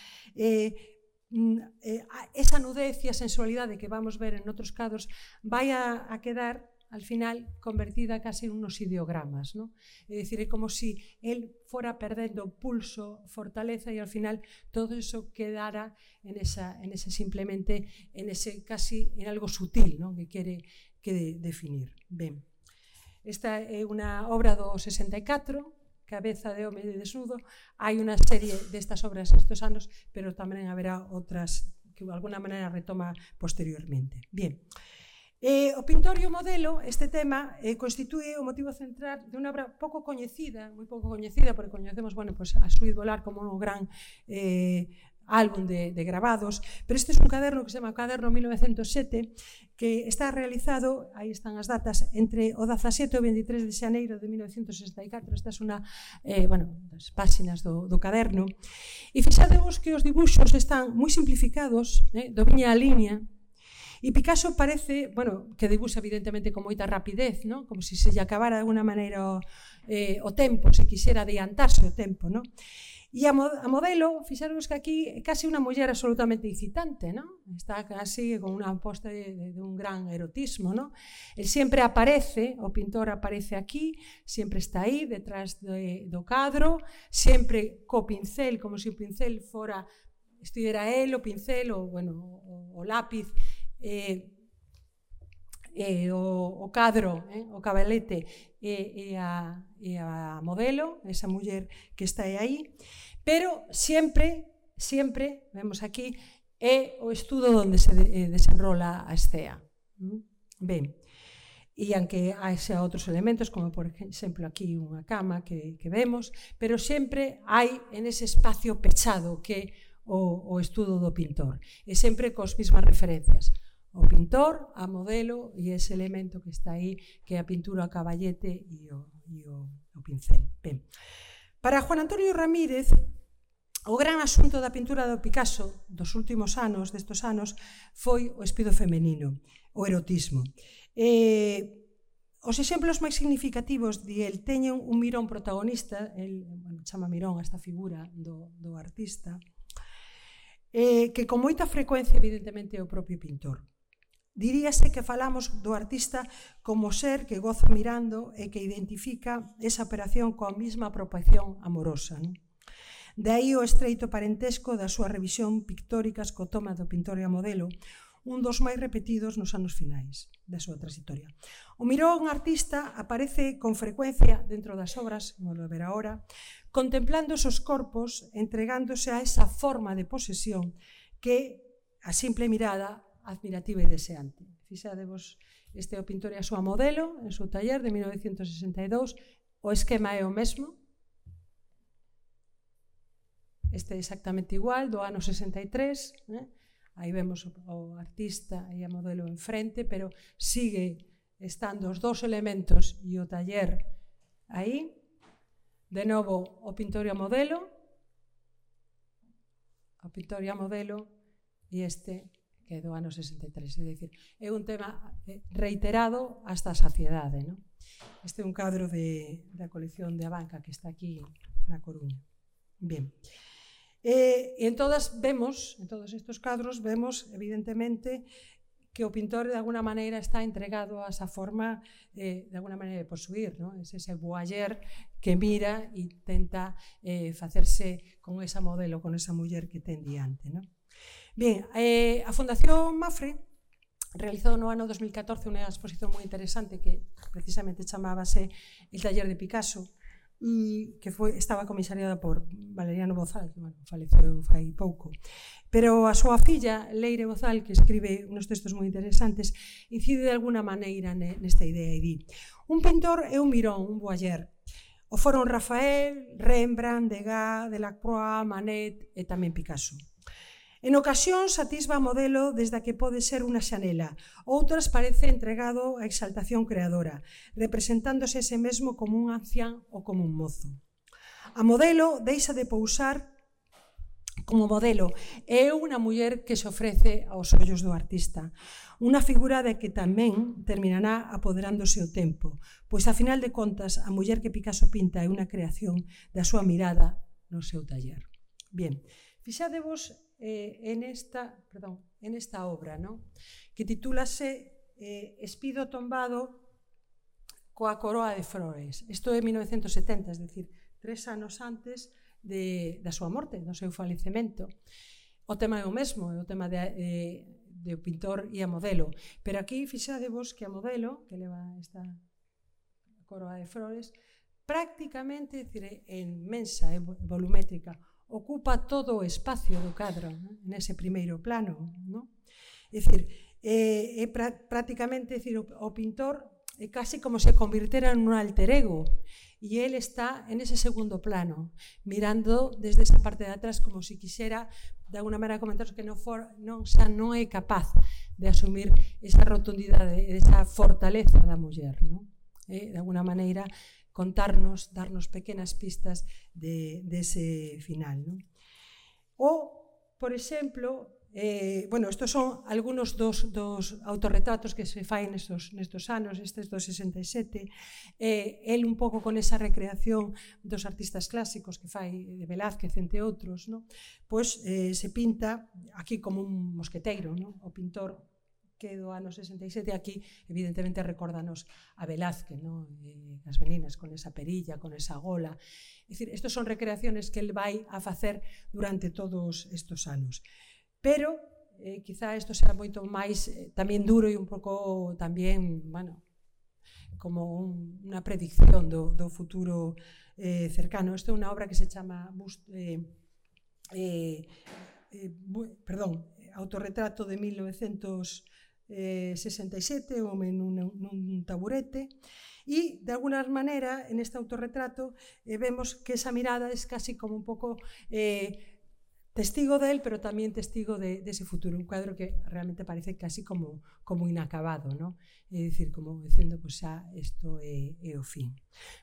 esa nudez e a sensualidade que vamos ver en outros cadros vai a quedar al final convertida casi en unos ideogramas, ¿no? É dicir, é como si él fora perdendo pulso, fortaleza, e al final todo eso quedara en ese simplemente, en ese casi, en algo sutil, ¿no? Que quere definir. Ben, esta é unha obra do 64, Cabeza de home desnudo. Hai unha serie destas obras estes anos, pero tamén haberá outras que de alguna maneira retoma posteriormente. Bien. O pintor e o modelo, este tema, constitúe o motivo central de unha obra pouco coñecida, moi pouco coñecida, porque coñecemos, bueno, pues, a Suite Volar como un gran álbum de grabados, pero este é un caderno que se chama Caderno 1907, que está realizado, aí están as datas, entre o 17 e o 23 de xaneiro de 1964. Esta é unha, das páxinas do caderno. E fixadevos que os dibuxos están moi simplificados, do viña a liña. E Picasso parece, que dibuxa evidentemente con moita rapidez, ¿no? Como se lle acabara de alguna maneira o tempo, se quixera adiantarse o tempo, ¿no? E a modelo, fixaros que aquí é casi unha muller absolutamente incitante, ¿no? Está casi con unha posta de un gran erotismo, ¿no? El sempre aparece, o pintor aparece aquí, sempre está aí, detrás do cadro, sempre co pincel, como se o pincel fora, estivera el, o pincel, o lápiz, o cadro, o cabelete e a modelo, esa muller que está aí, pero sempre, vemos aquí, é o estudo onde se desenrola a escena. Ben, e aunque haxa outros elementos, como por exemplo aquí unha cama que vemos, pero sempre hai en ese espacio pechado que o estudo do pintor, e sempre cos mismas referencias. O pintor, a modelo e ese elemento que está aí, que é a pintura a caballete e o pincel. Ben. Para Juan Antonio Ramírez, o gran asunto da pintura do Picasso dos últimos anos, destos anos, foi o espido femenino, o erotismo. Os exemplos máis significativos de el teñen un Mirón protagonista, el chama Mirón a esta figura do artista, que con moita frecuencia, evidentemente, é o propio pintor. Diríase que falamos do artista como ser que goza mirando e que identifica esa operación coa mesma apropiación amorosa. De aí o estreito parentesco da súa revisión pictóricas co toma do pintor e a modelo, un dos máis repetidos nos anos finais da súa trayectoria. O Mirón artista aparece con frecuencia dentro das obras, como lo verá ahora, contemplando esos corpos, entregándose a esa forma de posesión que a simple mirada admirativa e deseante. Fixadevos, este é o pintor e a súa modelo en seu taller de 1962, o esquema é o mesmo, este é exactamente igual, do ano 63, aí vemos o artista e a modelo enfrente, pero sigue estando os dous elementos e o taller aí, de novo o pintor e a modelo, e este que é do ano 63, é dicir, é un tema reiterado hasta a saciedade, non? Este é un cadro da colección de Abanca que está aquí na Coruña. Bien. E en todos estes cadros vemos, evidentemente, que o pintor de alguna maneira está entregado a esa forma de alguna maneira de posuir, ¿no? Es ese voyeur que mira e tenta facerse con esa modelo, con esa muller que ten diante, ¿no? Bien, a Fundación Mafre realizou no ano 2014 unha exposición moi interesante que precisamente chamábase El taller de Picasso, e que estaba comisariada por Valeriano Bozal, que faleceu fai pouco. Pero a súa filla, Leire Bozal, que escribe uns textos moi interesantes, incide de alguna maneira nesta idea e di: un pintor é un mirón, un voyeur. O foron Rafael, Rembrandt, Degas, Delacroix, Manet e tamén Picasso. En ocasións atisba a modelo desde a que pode ser unha xanela, outras parece entregado á exaltación creadora, representándose a ese mesmo como un ancián ou como un mozo. A modelo deixa de pousar como modelo, é unha muller que se ofrece aos ollos do artista. Unha figura de que tamén terminará apoderándose o tempo, pois a final de contas a muller que Picasso pinta é unha creación da súa mirada no seu taller. Bien, fixadevos en esta obra, ¿no? Que titúlase Espido tombado coa coroa de flores. Isto é 1970, es dicir, 3 anos antes da súa morte, do seu falecemento. O tema é o mesmo, é o tema de pintor e a modelo. Pero aquí fixadevos que a modelo, que leva esta coroa de flores, prácticamente, é inmensa e volumétrica, ocupa todo o espacio do cadro, nese primeiro plano. É dicir, é prácticamente, o pintor é casi como se convirtera en un alter ego, e ele está en ese segundo plano, mirando desde esa parte de atrás como se quixera, de alguna maneira, comentaros que non é capaz de asumir esa rotundidade, esa fortaleza da muller, de alguna maneira contarnos, darnos pequenas pistas dese final. Ou, por exemplo, estos son algunos dos autorretratos que se fai nestos anos, estes do 67. El un pouco con esa recreación dos artistas clásicos que fai de Velázquez, entre outros, pois se pinta aquí como un mosqueteiro, o pintor que do ano 67 aquí evidentemente recórdanos a Velázquez, as meninas con esa perilla, con esa gola. É dicir, estos son recreaciones que el vai a facer durante todos estos anos. Pero, quizá isto será moito máis tamén duro e un pouco tamén, como unha predicción do futuro cercano. Isto é unha obra que se chama Autorretrato de 1967, o home nun taburete, e, de alguna maneira, en este autorretrato vemos que esa mirada é casi como un pouco testigo del, pero tamén testigo dese futuro, un cuadro que realmente parece casi como inacabado, é dicir, como dicendo, pois xa isto é o fin.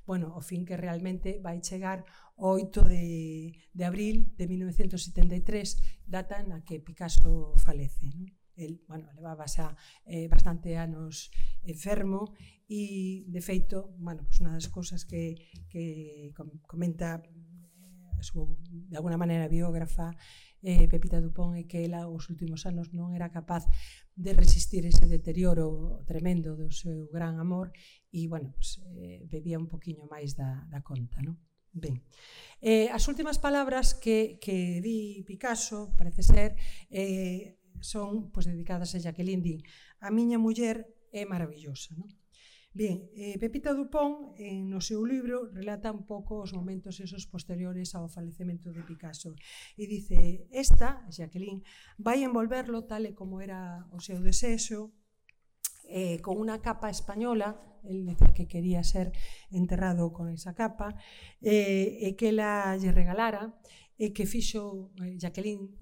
Bueno, o fin que realmente vai chegar o 8 de abril de 1973, data na que Picasso falece. El, levaba xa bastante anos enfermo e, de feito, unha das cousas que comenta de alguna maneira biógrafa Pepita Dupont é que ela os últimos anos non era capaz de resistir ese deterioro tremendo do seu gran amor e, bebía un poquinho máis da conta. Ben, as últimas palabras que di Picasso, parece ser, son dedicadas a Jacqueline. Di: a miña muller é maravillosa. Bien, Pepita Dupont, no seu libro, relata un pouco os momentos esos posteriores ao falecemento de Picasso e dice: esta, Jacqueline, vai envolverlo tal e como era o seu desexo, con unha capa española, el decía que quería ser enterrado con esa capa, e que ela lle regalara, e que fixo Jacqueline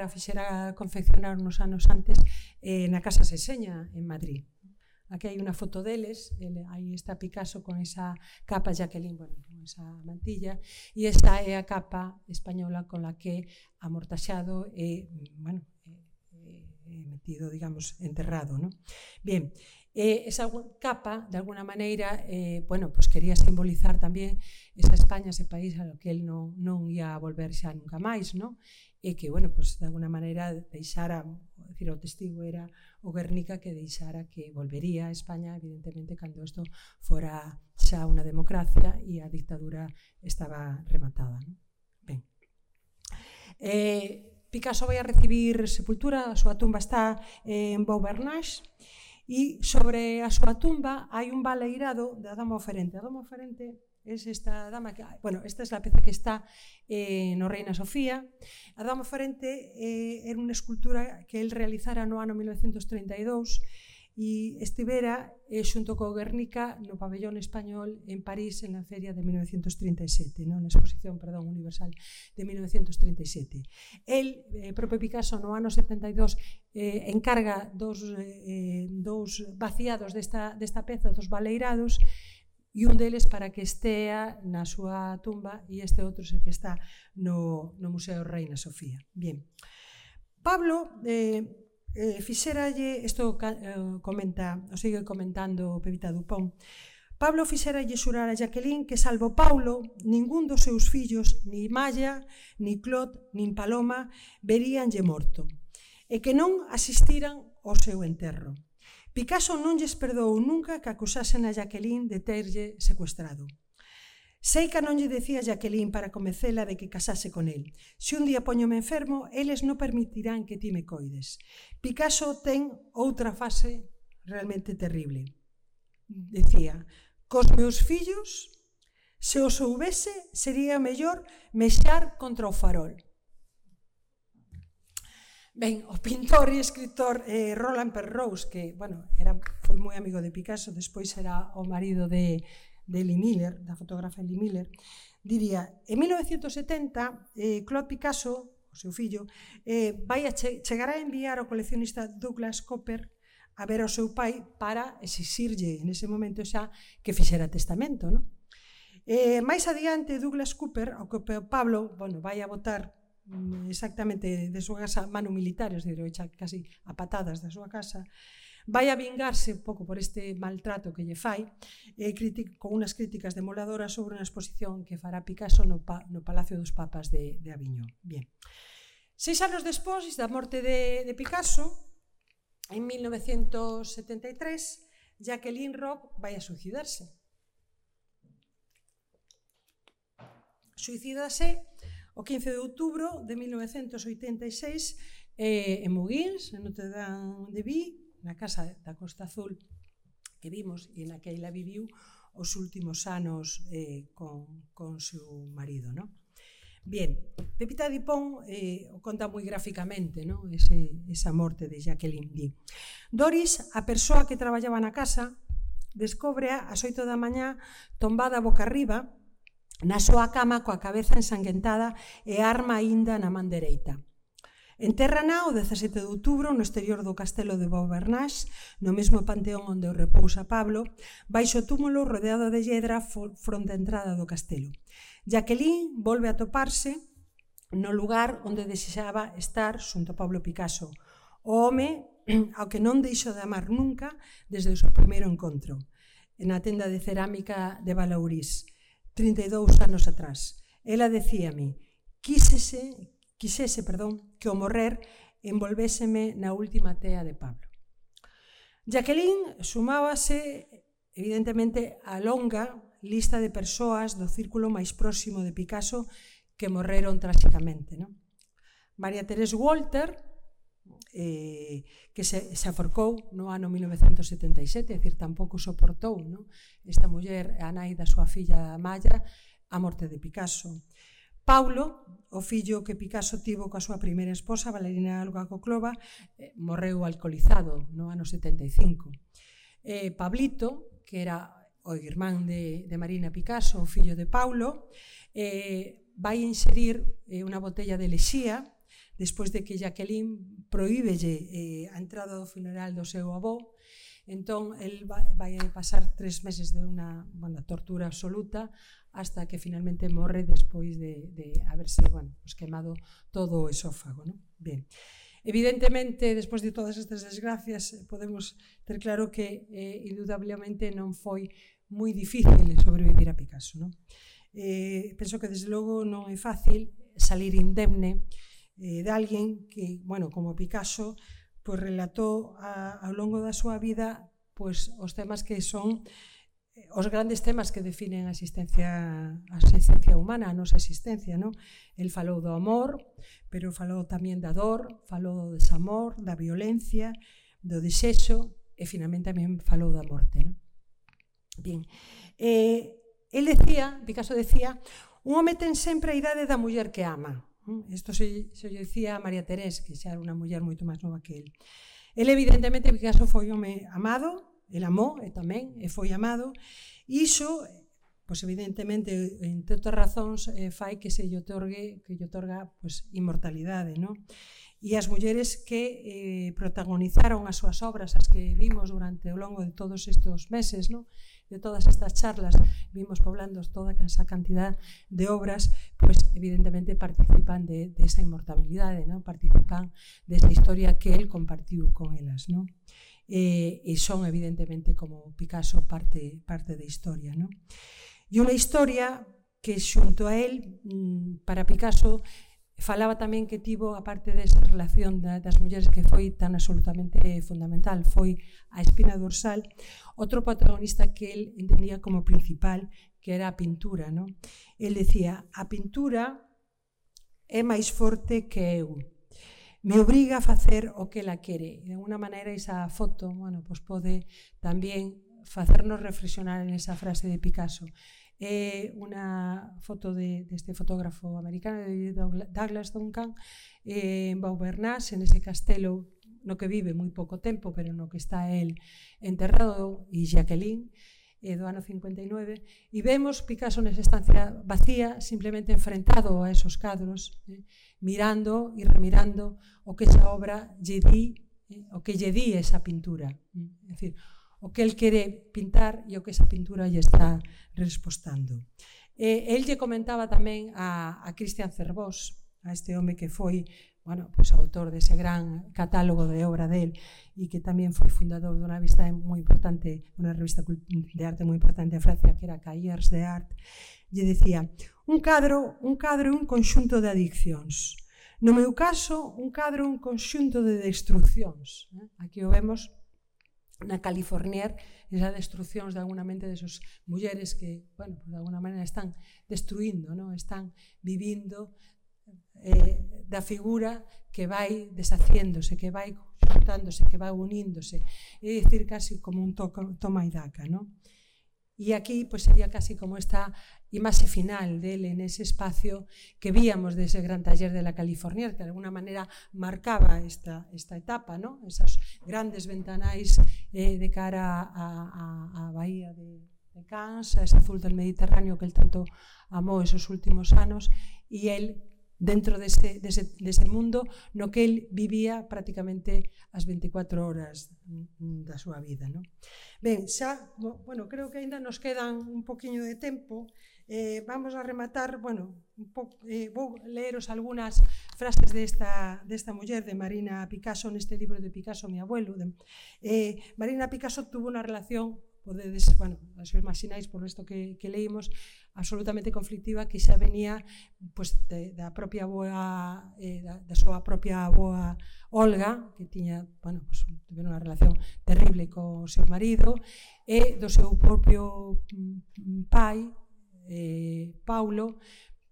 fixera confeccionar uns anos antes na Casa Seseña, en Madrid. Aquí hai unha foto deles, aí está Picasso con esa capa, Jacqueline, con esa mantilla, e esa é a capa española con la que amortaxado e metido, digamos, enterrado. Bien, esa capa, de alguna maneira, quería simbolizar tamén esa España, ese país ao que él non ia volver xa nunca máis, e que, de alguna maneira deixara, o testigo era o Guernica, que deixara que volvería a España, evidentemente, cando isto fora xa unha democracia e a dictadura estaba rematada. Ben, Picasso vai a recibir sepultura, a súa tumba está en Beaubernage, e sobre a súa tumba hai un baleirado da Dama Oferente. A Dama Oferente é esta dama que, esta é a peza que está no Reina Sofía. A Dama Oferente era unha escultura que el realizara no ano 1932 e estivera xunto co Guernica no pabellón español en París en a feria de 1937, na exposición universal de 1937. El, propio Picasso, no ano 72 encarga dous vaciados desta peza, dos baleirados, e un deles para que estea na súa tumba e este outro é que está no Museo Reina Sofía. Bien. Pablo fixeralle, isto comenta, o sigue comentando Pepita Dupont, Pablo fixeralle xurar a Jacqueline que salvo Paulo, ningún dos seus fillos, ni Maya, ni Claude, nin Paloma, veríanlle morto, e que non asistiran ao seu enterro. Picasso non lles perdoou nunca que acusasen a Jacqueline de terlle secuestrado. Sei que non lle decía a Jacqueline para convencela de que casase con el. Se un día poñome enfermo, eles non permitirán que ti me coides. Picasso ten outra fase realmente terrible. Decía, cos meus fillos, se os soubese, sería mellor mexar contra o farol. Ben, o pintor e escritor Roland Penrose, que, bueno, foi moi amigo de Picasso, despois era o marido de Lee Miller, da fotógrafa Lee Miller, diría, en 1970, Claude Picasso, o seu fillo, chegará a enviar ao coleccionista Douglas Cooper a ver ao seu pai para exixirlle, nese momento xa, que fixera testamento, non? Mais adiante, Douglas Cooper, ao que Pablo, bueno, vai a botar exactamente de súa casa mano militar, es dicir, echa casi a patadas da súa casa, vai a vingarse un pouco por este maltrato que lle fai, con unas críticas demoladoras sobre unha exposición que fará Picasso no Palacio dos Papas de Aviñón. Bien. 6 anos despois da morte de Picasso, en 1973, Jacqueline Roch vai a suicidarse. Suicídase o 15 de outubro de 1986 en Moguins, en Notre Dame de Vie, na casa da Costa Azul que vimos e na que ela viviu os últimos anos con seu marido, non? Bien, Pepita Dupont o conta moi gráficamente, non? Esa morte de Jacqueline Lee. Doris, a persoa que traballaba na casa, descóbrea ás 8 da mañá tombada boca arriba na súa cama coa cabeza ensanguentada e a arma aínda na man dereita. Entérrana o 17 de outubro no exterior do castelo de Beaubernage, no mesmo panteón onde repousa Pablo, baixo o túmulo rodeado de lledra fronte á entrada do castelo. Jacqueline volve a toparse no lugar onde desexaba estar xunto a Pablo Picasso, o home ao que non deixou de amar nunca desde o seu primeiro encontro, na tenda de cerámica de Valaurís, 32 anos atrás. Ela decíame, quixese, que o morrer envolvéseme na última tea de Pablo. Jacqueline sumábase, evidentemente, a longa lista de persoas do círculo máis próximo de Picasso que morreron tráxicamente, non? María Teresa Walter, que se aforcou no ano 1977, é dicir, tampouco soportou, non? Esta muller, a nai da súa filla Maya, a morte de Picasso. Paulo, o fillo que Picasso tivo coa súa primeira esposa, Valerina Olga Coclova, morreu alcoholizado no ano 75. Pablito, que era o irmán de Marina Picasso, o fillo de Paulo, vai inserir unha botella de lexía despois de que Jacqueline prohíbelle a entrada do funeral do seu avó. Entón, el vai pasar 3 meses de unha tortura absoluta hasta que finalmente morre despois de haberse quemado todo o esófago. Bien. Evidentemente, despois de todas estas desgracias, podemos ter claro que indudablemente non foi moi difícil sobrevivir a Picasso. Penso que, desde logo, non é fácil salir indemne de alguén que, como Picasso, relatou ao longo da súa vida os temas que son os grandes temas que definen a existencia humana, a nosa existencia. El falou do amor, pero falou tamén da dor, falou do desamor, da violencia, do desexo e finalmente tamén falou da morte. Bien, Picasso decía, un home ten sempre a idade da muller que ama. Isto se dicía a María Teresa, que xa era unha muller moito máis nova que el. El, evidentemente, Picasso foi un home amado, el amou e tamén foi amado, e iso, evidentemente, entre outras razóns, fai que lle otorga inmortalidade. E as mulleres que protagonizaron as súas obras, as que vimos durante o longo de todos estes meses, de todas estas charlas vimos poblando toda esa cantidad de obras, pues evidentemente participan de esa inmortalidade, ¿no? Participan desa historia que él compartiu con elas, ¿no? E son evidentemente como Picasso parte da historia, ¿no? E unha historia que xunto a él, para Picasso, falaba tamén que tivo, a parte desa relación das mulleres que foi tan absolutamente fundamental, foi a espina dorsal, outro protagonista que él entendía como principal, que era a pintura, ¿no? Él decía, a pintura é máis forte que eu, me obriga a facer o que ela quere. De alguna maneira, esa foto, bueno, pues pode tamén facernos reflexionar en esa frase de Picasso. É unha foto deste fotógrafo americano, de Douglas Duncan, en Beaubernage, en ese castelo no que vive moi pouco tempo, pero no que está él enterrado, e Jacqueline, do ano 59, e vemos Picasso nesa estancia vacía, simplemente enfrentado a esos cadros, mirando e remirando o que esa obra lle di, o que lle di esa pintura. É dicir, o que el quere pintar e o que esa pintura lle está respostando. El lle comentaba tamén a Christian Cerbós, a este home que foi, bueno, pues, autor dese gran catálogo de obra del e que tamén foi fundador dunha revista moi importante, unha revista de arte moi importante en Francia, que era Cahiers de Art, lle decía, un cadro é un conxunto de adiccións. No meu caso, un cadro é un conxunto de destruccións. Aquí o vemos na Californier, esas destruccións de alguna mente desas mulleres que, bueno, de alguna maneira están destruindo, ¿no? Están vivindo da figura que vai deshaciéndose, que vai xuntándose, que vai uníndose, é dicir, casi como un toma e daca, ¿no? E aquí pues, sería casi como esta imaxe final dele nese espacio que víamos dese gran taller de la Californier, que de alguna maneira marcaba esta etapa, ¿no? Esas grandes ventanais de cara á bahía de Cannes, a ese azul del Mediterráneo que el tanto amou esos últimos anos, e el dentro dese mundo no que el vivía prácticamente as 24 horas da súa vida, ¿no? Ben, xa, bueno, creo que ainda nos quedan un poquinho de tempo. Vamos a rematar, bueno, vou leeros algunhas frases desta muller, de Marina Picasso, neste libro de Picasso, mi abuelo. Marina Picasso tuvo unha relación, podedes, bueno, os imagináis por isto que leímos, absolutamente conflictiva, que xa venía pues, da propia aboa, da súa propia aboa Olga, que tiña, bueno, pues, unha relación terrible co seu marido, e do seu propio pai, Paulo,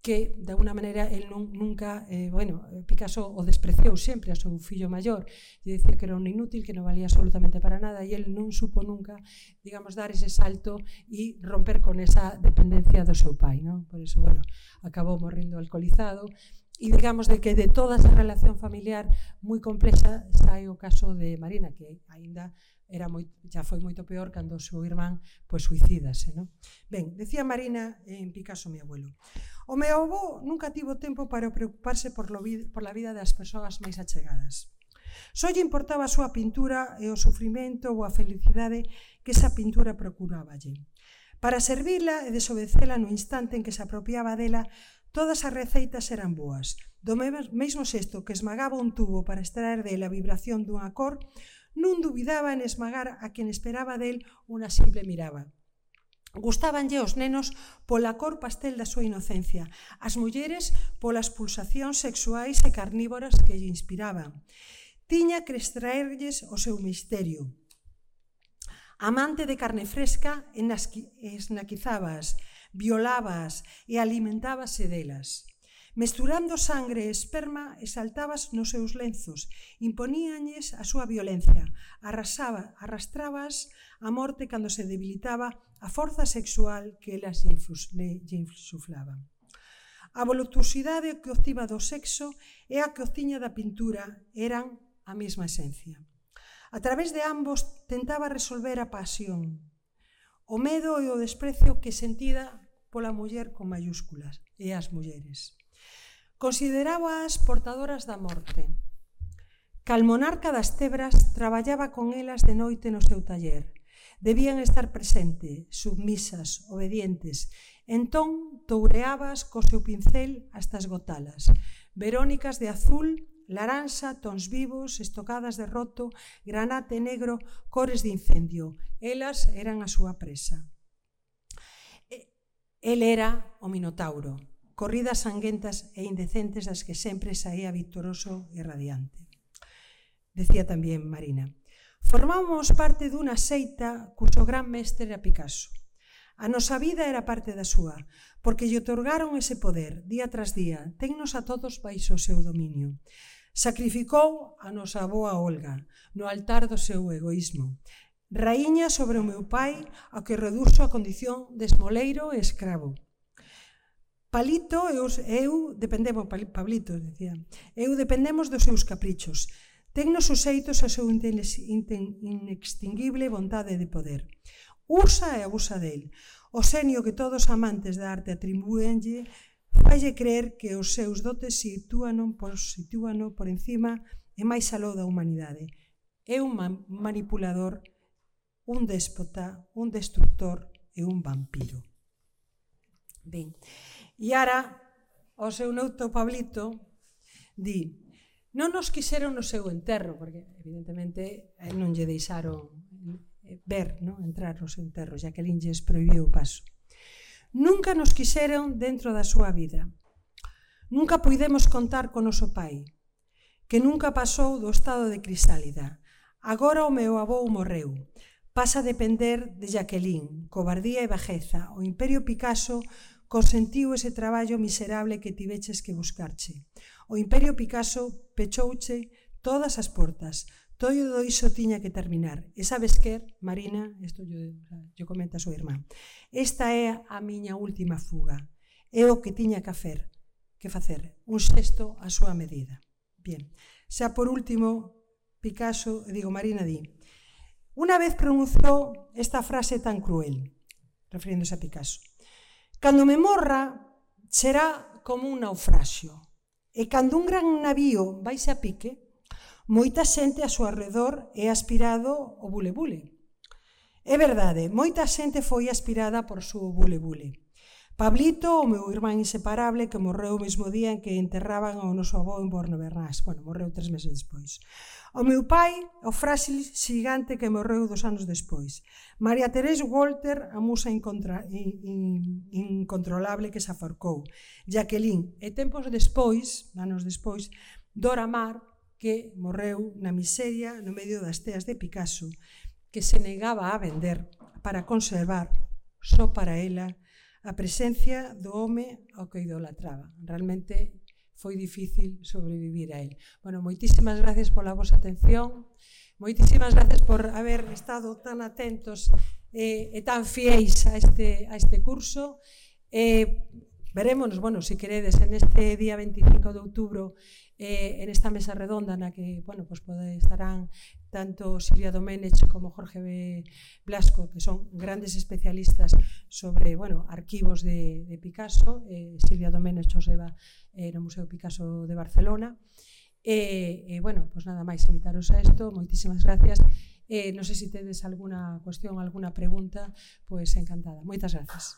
que de alguna maneira el nunca, bueno, Picasso o despreciou sempre a seu fillo maior, e dicía que era un inútil, que non valía absolutamente para nada, e el non supo nunca, digamos, dar ese salto e romper con esa dependencia do seu pai, non? Por iso, bueno, acabou morrendo alcoholizado, e digamos de que de toda esa relación familiar moi complexa sai o caso de Marina, que aínda xa foi moito peor cando o seu irmán pues, suicídase, ¿no? Ben, decía Marina en Picasso, mi abuelo, o meu avó nunca tivo tempo para preocuparse por la vida das persoas máis achegadas. Só lle importaba a súa pintura e o sufrimento ou a felicidade que esa pintura procuráballe. Para servila e desobedecela no instante en que se apropiaba dela, todas as receitas eran boas. Do mesmo xesto que esmagaba un tubo para extraer dela a vibración dunha cor, non dubidaba en esmagar a quen esperaba del unha simple mirada. Gustabanlle os nenos pola cor pastel da súa inocencia, as mulleres polas pulsacións sexuais e carnívoras que lle inspiraban. Tiña que extraerlles o seu misterio. Amante de carne fresca, esnaquizábaas, violabas e alimentábase delas. Mesturando sangre e esperma, exaltabas nos seus lenzos, imponíanlles a súa violencia, arrastrábas a morte cando se debilitaba a forza sexual que elas lle insuflaban. A voluptuosidade que obtiba do sexo e a que obtiña da pintura eran a mesma esencia. A través de ambos tentaba resolver a pasión, o medo e o desprecio que sentida pola muller con mayúsculas e as mulleres. Considerábaas portadoras da morte. Cal monarca das Tebras traballaba con elas de noite no seu taller. debían estar presentes, submisas, obedientes. Entón toureabas co seu pincel hasta esgotalas, verónicas de azul, laranxa, tons vivos, estocadas de roto, granate negro, cores de incendio. Elas eran a súa presa. El era o Minotauro, corridas sanguentas e indecentes das que sempre saía victoroso e radiante. Decía tamén Marina: formamos parte dunha seita cuxo gran mestre era Picasso. A nosa vida era parte da súa, porque lle otorgaron ese poder, día tras día, tennos a todos baixo o seu dominio. Sacrificou a nosa avoa Olga no altar do seu egoísmo. Raíña sobre o meu pai, ao que reduxo a condición de esmoleiro e escravo. Pablito dependemos dos seus caprichos. Tennos suxeitos a seu inextinguible vontade de poder. Usa e abusa del. O xenio que todos os amantes da arte atribúenlle falle creer que os seus dotes sitúano por encima e máis aló da humanidade. É un manipulador, un déspota, un destructor e un vampiro. Ben, e ara o seu neuto Pablito di: non nos quixeron no seu enterro, porque evidentemente non lle deixaron ver, entrar no seu enterro, Jacqueline lles prohibiu o paso. Nunca nos quixeron dentro da súa vida. Nunca puidemos contar con noso pai, que nunca pasou do estado de crisálida. Agora o meu avó morreu. Pasa a depender de Jacqueline, cobardía e bajeza. O Imperio Picasso consentiu ese traballo miserable que tiveches que buscarche. O Imperio Picasso pechouche todas as portas. Todo iso tiña que terminar. E sabes que, Marina, isto yo comenta a súa irmán, esta é a miña última fuga. É o que tiña que facer, un xesto a súa medida. Bien, xa por último, Marina di: una vez pronunciou esta frase tan cruel, referiéndose a Picasso: cando me morra será como un naufraxio, e cando un gran navío vaise a pique, moita xente a súa arredor é aspirado o bule-bule. É verdade, moita xente foi aspirada por súa bule-bule. Pablito, o meu irmán inseparable, que morreu o mesmo día en que enterraban ao noso avó en Borno-Bernás. Morreu 3 meses despois. O meu pai, o frágil xigante que morreu 2 anos despois. María Teresa Walter, a musa incontrolable que se aforcou. Jacqueline, e tempos despois, anos despois, Dora Maar, que morreu na miseria no medio das teas de Picasso, que se negaba a vender para conservar, só para ela, a presencia do home ao que idolatraba. Realmente foi difícil sobrevivir a él. Moitísimas gracias pola vosa atención, moitísimas gracias por haber estado tan atentos e tan fiéis a este curso. Verémonos, se queredes, en este día 25 de outubro, en esta mesa redonda na que estarán tanto Silvia Domenech como Jorge Blasco, que son grandes especialistas sobre arquivos de Picasso. Silvia Domenech os leva no Museo Picasso de Barcelona. Nada máis, invitaros a isto. Moitísimas gracias. Non sei se tedes alguna cuestión, alguna pregunta, pois encantada. Moitas gracias.